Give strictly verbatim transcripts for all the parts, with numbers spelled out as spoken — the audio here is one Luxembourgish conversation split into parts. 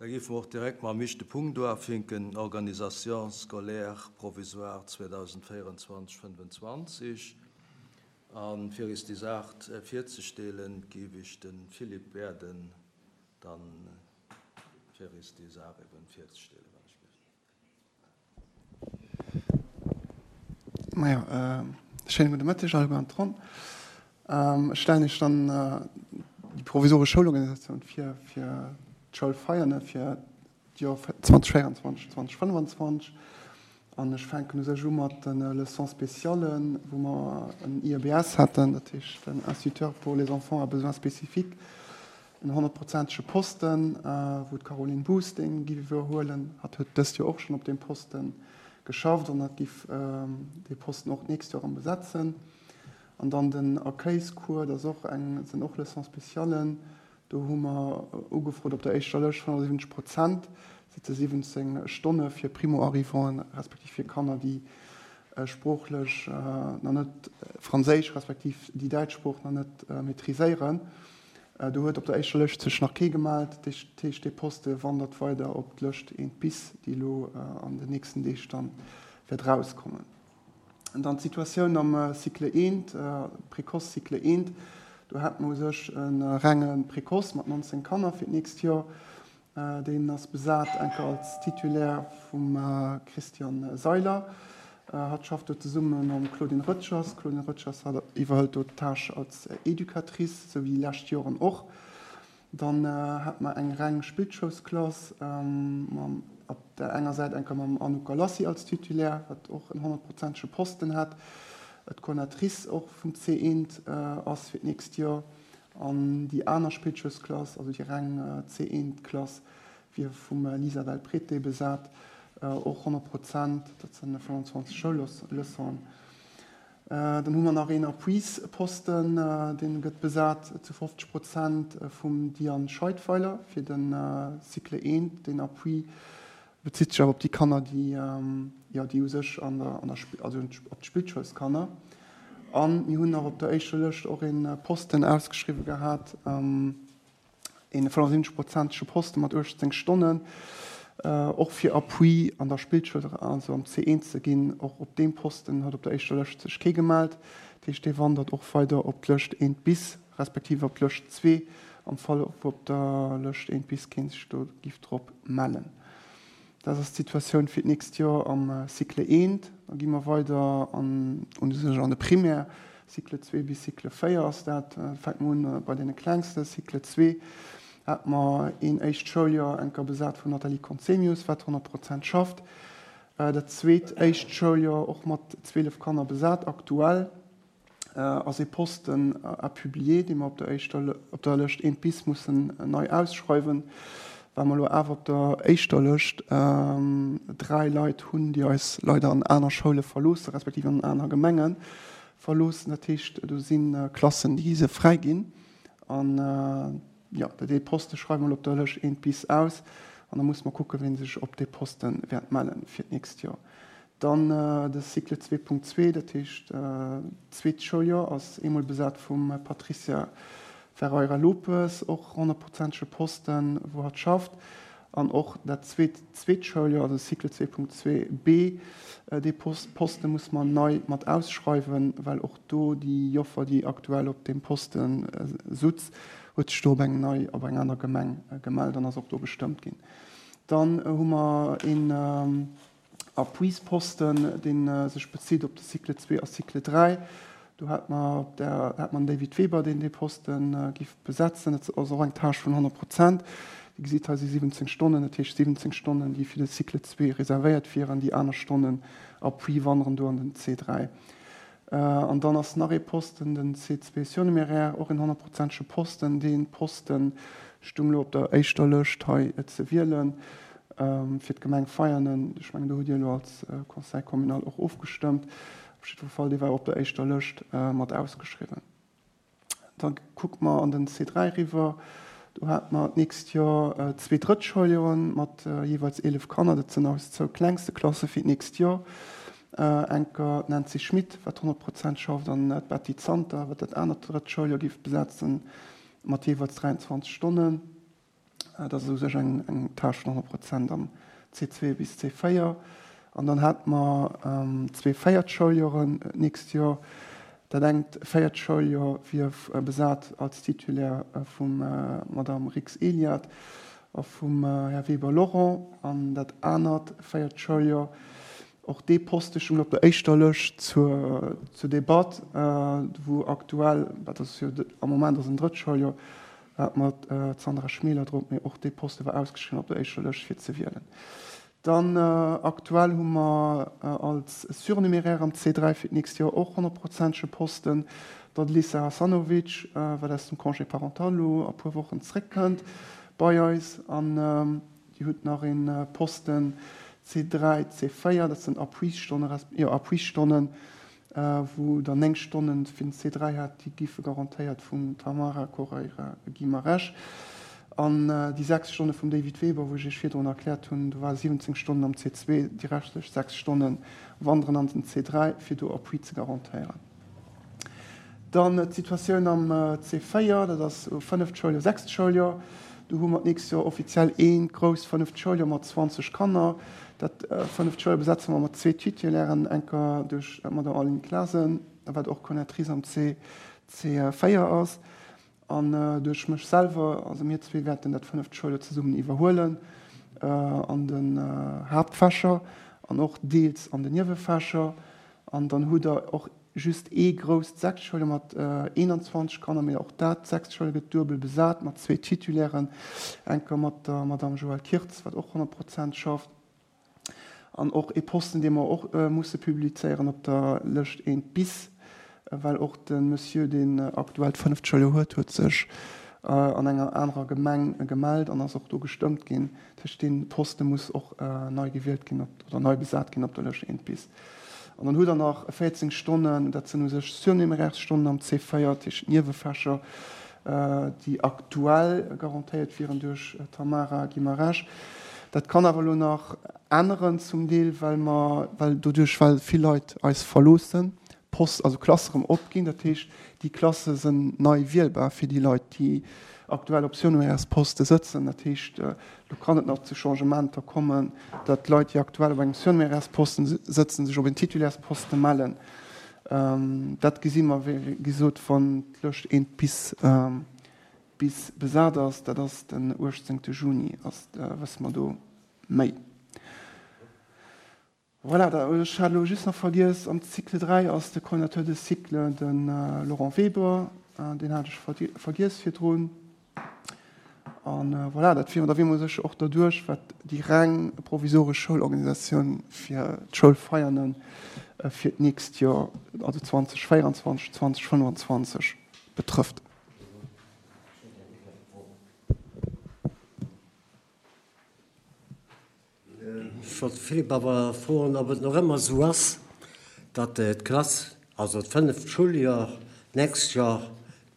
Da géife mer och direkt mam éischte Punkt uafinken, Organisation scolaire provisoire zweedausendvéierundzwanzeg fënnfenzwanzeg. A fir eis déi Saach virzestellen, géif ech de Philippe bieden, dann fir eis déi Saach eben virzestellen, wann ech géif. Majo, schéine gudde Mëtteg alleguer an d'Ronn. Ech stellen Iech dann déi provisoresch Schoulorganisatioun vir fir d'Schoul Veianen fir d'Joer zweedausendvéierundzwanzeg, zweedausendfënnefenzwanzeg. An ech fänken u sech u mat de Leçons spéciales, wou mer en I E B S haten, dat heescht en Instituteur pour les enfants à besoins spécifiques, en honnertprozentege Posten, wou d'Caroline Buus dee giff iwwerhuelen. Hatt huet dëst Joer och schonn op deem Poste geschafft an hatt giff dee Posten och d'nächst Joer erëm besetzen. An dann den Accueilscours, dat ass och eng, sinn och Leçons spéciales. Do hu mer ugefrot op der éischter Lëscht fënnefensiwwenzeg Prozent, dat si siwwenzéng Stonne fir Primo-arrivanten, respektiv fir Kanner, déi sproochlech nach net Franséisch respektiv déi däitsch Sprooch nach net maîtriséieren. Do huet op der éischter Lëscht sech nach kee gemellt. Dat heescht, dee Poste wandert weider op d'Lëscht eent bis, déi elo an den nächsten Deeg dann wäert erauskommen. An dann d'Situatioun am Cycle eent, Précoce Cycle eent. Do hat mer u sech e renge Précoce mat nonzéng Kanner fir d'nächst Joer. Deen ass besat enker als Titulaire vum Christian Seiler. Hatt schafft do zesumme mam Claudine Röttgers. D'Claudine Röttgers hat iwwerhëlt do d'Tâche als Educatrice, sou wéi déi lescht Joren och. Dann hat mer eng reng Spillschoulsklass mam op der enger Säit enker mam Anouk Galassi als Titulaire, wat och en honnertprozentege Posten hat. D'Coordinatrice och vum C eent ass fir d'nächst Joer. An déi aner Spillschoulsklass, also déi reng C eent Klass, wier vum Lisa Del Prete besat, och honnert Prozent, dat sinn fënnefenzwanzeg Schoulleçonen. Dann hu mer nach een Appuisposten, dee gëtt besat zu fofzeg Prozent vum Diane Scheidweiler fir de Cycle eent. Deen Appui bezitt sech awer op déi Kanner, déi, jo, déi u sech an der, an der, also op d'Spillschoulskanner. A mir hunn nach op der éischter Lëscht och ee Posten ausgeschriwwe gehat, een fënnefensiwwenzeg-prozentege Posten mat uechtzéng Stonnen, och fir Appui an der Spillschoul, also am C eent ze ginn. Och op deem Posten huet op der éischter Lëscht sech kee gemellt. Dat heescht, dee wandert och weider op d'Lëscht eent bis, respektiv op d'Lëscht zwee, am Fall wou op der Lëscht eent bis kee sech do giff drop mellen. Dat ass d'Situatioun fir d'nächst Joer am Cycle eent. Da gi mer weider an u sech an de Primaire. Cycle zwee bis Cycle véier ass dat. Fänke mer un bei deene Klengste. Cycle zwee hat mer een éischt Schouljoer enker besat vum Nathalie Conzemius, wat honnert Prozent schafft. Dat zweet éischt Schouljoer och mat zwielef Kanner besat. Aktuell ass ee Posten à publier, dee mer op der éischter, op der Lëscht eent bis mussen nei ausschreiwen, well mer elo awer op der éischter Lëscht dräi Leit hunn, déi eis leider an aner Schoule verloossen, respektiv an aner Gemenge verloossen. Dat heescht, do si Klassen, déi se fräi ginn. An jo, dee Poste schreiwe mer elo op der Lëscht eent bis aus an da musse mer kucken, wien sech op dee Poste wäert mellen fir d'nächst Joer. Dann de Cycle zwee Punkt zwee, dat heescht d'zweet Schouljoer, ass eemol besat vum Patricia Ferreira Lopes, och honnertprozentege Posten, wou hatt schafft. An och dat zweet zweet Schouljoer, also Cycle zwee Punkt zwee B, dee Poste muss mer nei mat ausschreiwen, well och do déi Joffer, déi aktuell op deem Poste sutz, huet sech do op eng nei, op eng aner Gemeng gemellt an ass och do bestëmmt ginn. Dann hu mer een Appuisposten, dee sech bezitt op de Cycle zwee a Cycle dräi. Do hat mer op der, hat mer den David Weber, deen dee Posten giff besetzen. Dat ass och eng Tâche vun honnert Prozent. Dir gesitt, hei si siwwenzéng Stonnen, dat heescht siwwenzéng Stonnen, déi fir de Cycle zwee reservéiert wieren. Déi aner Stonnen Appui wanderen do an den C dräi. An dann ass nach ee Posten, den C zwee surnuméraire, och een honnertprozentege Posten. Dee Posten stung elo op der éischter Lëscht hei ze wielen fir d'Gemeng Veianen. Ech mengen, do hutt Dir elo als Conseil communal och ofgestëmmt. Op jiddwer Fall, dee war op der éischter Lëscht mat ausgeschriwwen. Da kucke mer an den C dräi eriwwer. Do hate mer d'nächst Joer zwee Drëttscholjoren mat jeeweils eelef Kanner. Dat sinn eis zwou klengste Klasse fir d'nächst Joer. Enker d'Nancy Schmit, wat honnert Prozent schafft, an d'Betty Zanter, wat dat anert Drëttscholjoer géif besetzen, mat jeeweils dräianzwanzeg Stonnen. Dat ass u sech eng, eng Tâche vun honnert Prozent am C zwee bis C véier. An dann hat mer zwee véiert Schouljoren d'nächst Joer. Dat engt véiert Schouljoer wier besat als Titulaire vum Madame Rix Eliad a vum Här Weber Laurent. An dat anert véiert Schouljoer, och dee Poste stoung op der éischter Lëscht zur, zur Debatt, wou aktuell, dat ass jo am Moment ass en drëtt Schouljoer, hat mer d'Sandra Schmeler drop, mee och dee Poste war ausgeschriwwen op der éischter Lëscht fir ze wielen. Dann aktuell hu mer als Surnuméraire am C dräi fir d'nächst Joer och honnertprozentege Posten, d'Adelisa Hasanovic, wat aus dem Congé parental elo a puer Wochen zréckkënnt bei eis, an déi huet nach ee Posten C dräi, C véier, dat sinn Appuisstonnen, jo Appuisstonnen, wou der néng Stonnen fir den C dräi hat, déi giffe garantéiert vum Tamara Correira Guimarães. An déi sechs Stonne vum David Weber, wou ech Iech virdrun erkläert hunn, do ware siwwenzéng Stonnen am C zwee, déi reschtlech sechs Stonne wanderen an den C dräi, fir do Appui ze garantéieren. Dann d'Situatioun am C véier, dat ass fënneft Schouljoer, sechst Schouljoer. Do hu mer d'nächst Joer offiziell eent grousst fënneft Schouljoer mat zwanzeg Kanner. Dat fënneft Schouljoer besetze mer mat zwee Titulairen, enker duerch d'Madame Aline Klasen, wat och Coordinatrice am C véier ass, an duerch mech selwer. Also mir zwee wäerten dat fënneft Schouljoer zesummen iwwerhuelen an den Haaptfächer an och deels an den Niewefächer. An dann hutt der och just ee grousst sechst Schouljoer mat eenanzwanzeg Kanner, mee och dat sechst Schouljoer gëtt duebel besat mat zwee Titulairen, enker mat der Madame Joëlle Kirtz, wat och honnert Prozent schafft, an och ee Posten, dee mer och musse publizéieren op der Lëscht eent bis, well och de Monsieur, deen aktuell d'fënneft Schouljoer huet, huet sech an enger anerer Gemeng gemellt an ass och do gestëmmt ginn. Dat heescht, dee Poste muss och nei gewielt ginn oder nei besat ginn op der Lëscht eent bis. An dann hutt der nach véierzéng Stonnen, dat sinn u sech Surnuméraires-Stonnen am C véier, dat heescht Niewefächer, déi aktuell garantéiert wieren duerch Tamara Guimarães. Dat kann awer elo nach änneren zum Deel, well mer, well doduerch, well vill Leit eis verloossen, Post, also Klasse erëm opginn. Dat heescht, déi Klasse sinn nei wielbar fir déi Leit, déi aktuell op Surnuméraires-Poste sëtzen. Dat heescht, do kann et nach zu Changementer kommen, datt d'Leit, déi aktuell op engem Surnuméraires-Posten sëtzen, sech op en Titulaires-Poste mellen. Dat gesi mer, wéi gesot, wann d'Lëscht eent bis, bis besat ass. Dat ass den uechtzéngte Juni, ass, wësse mer do méi. Voilà, da, ech hat elo just nach vergiess, am Cycle dräi ass de Coordinateur de Cycle de Laurent Weber, deen hat ech vergiess virdrun. An voilà, dat wier, da wier mer sech och derduerch, wat déi reng provisoresch Schoulorganisatioun fir d'Schoulfeierne fir d'nächst Joer, also zwanzeg véierundzwanzeg, zwanzeg fënnefanzwanzeg betrëfft. Ech wollt de Philippe awer froen, ob et nach ëmmer esou ass, datt d'Klass, also d'fënneft Schouljoer, d'nächst Joer,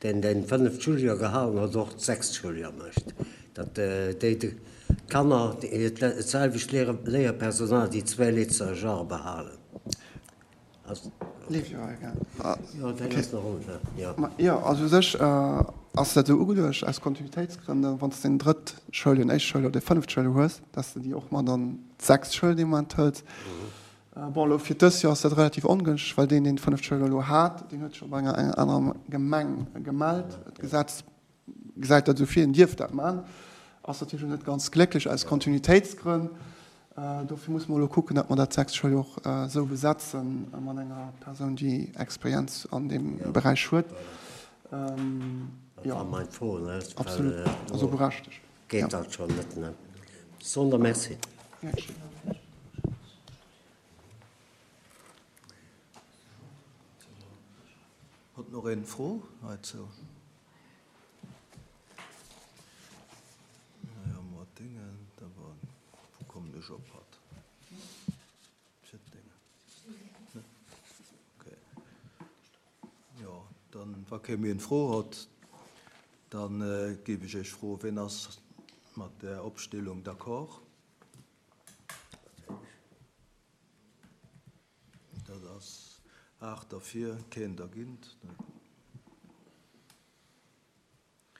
deen den fënneft Schouljoer gehalen huet, och d'sechst Schouljoer mécht. Datt déi Kanner, d'selwecht Léierpersonal, déi zwee Lëtzer Jahre behalen. Jo, dat ass nach ëmmer, jo. Jo, also u sech ass dat esou ugeluecht aus Kontinuitéitsgrënnen, wann s de den drëtt Schouljoer, den éischt Schouljoer oder de fënneft Schouljoer hues, dass de déi och mat an d'sechst Schoul dee Moment hëls. Bon, elo fir dëst Joer ass dat relativ ongünschteg, well deen, deen d'fënneft Schouljoer elo hat, deen huet sech op enger anerer Gemeng gemellt. D'Gesetz gesäit dat esou vir, en dierf dat maachen. Ass natierlech net ganz glécklech aus Kontinuitéitsgrënn. Dofir muss mer elo kucken, datt mer dat sechst Schouljoer och esou besetzen mat enger Persoun, déi Experienz an deem Beräich huet. Dat war meng Fro, ne? Absolut, also berechtegt. Geet dat schonn net, ne? Sonder merci. Huet nach een Fro heizou? Naja, mat Dingen, da war, wo kommen ech op hat? Fir d'Dinge. Ne? Okay. Ja, dann, wa kee méi eng Fro hat, dann äh, gebe ich Iech Fro, wien ass mat der Opstellung d'accord? Dat ass aacht derfir, keen dergéint.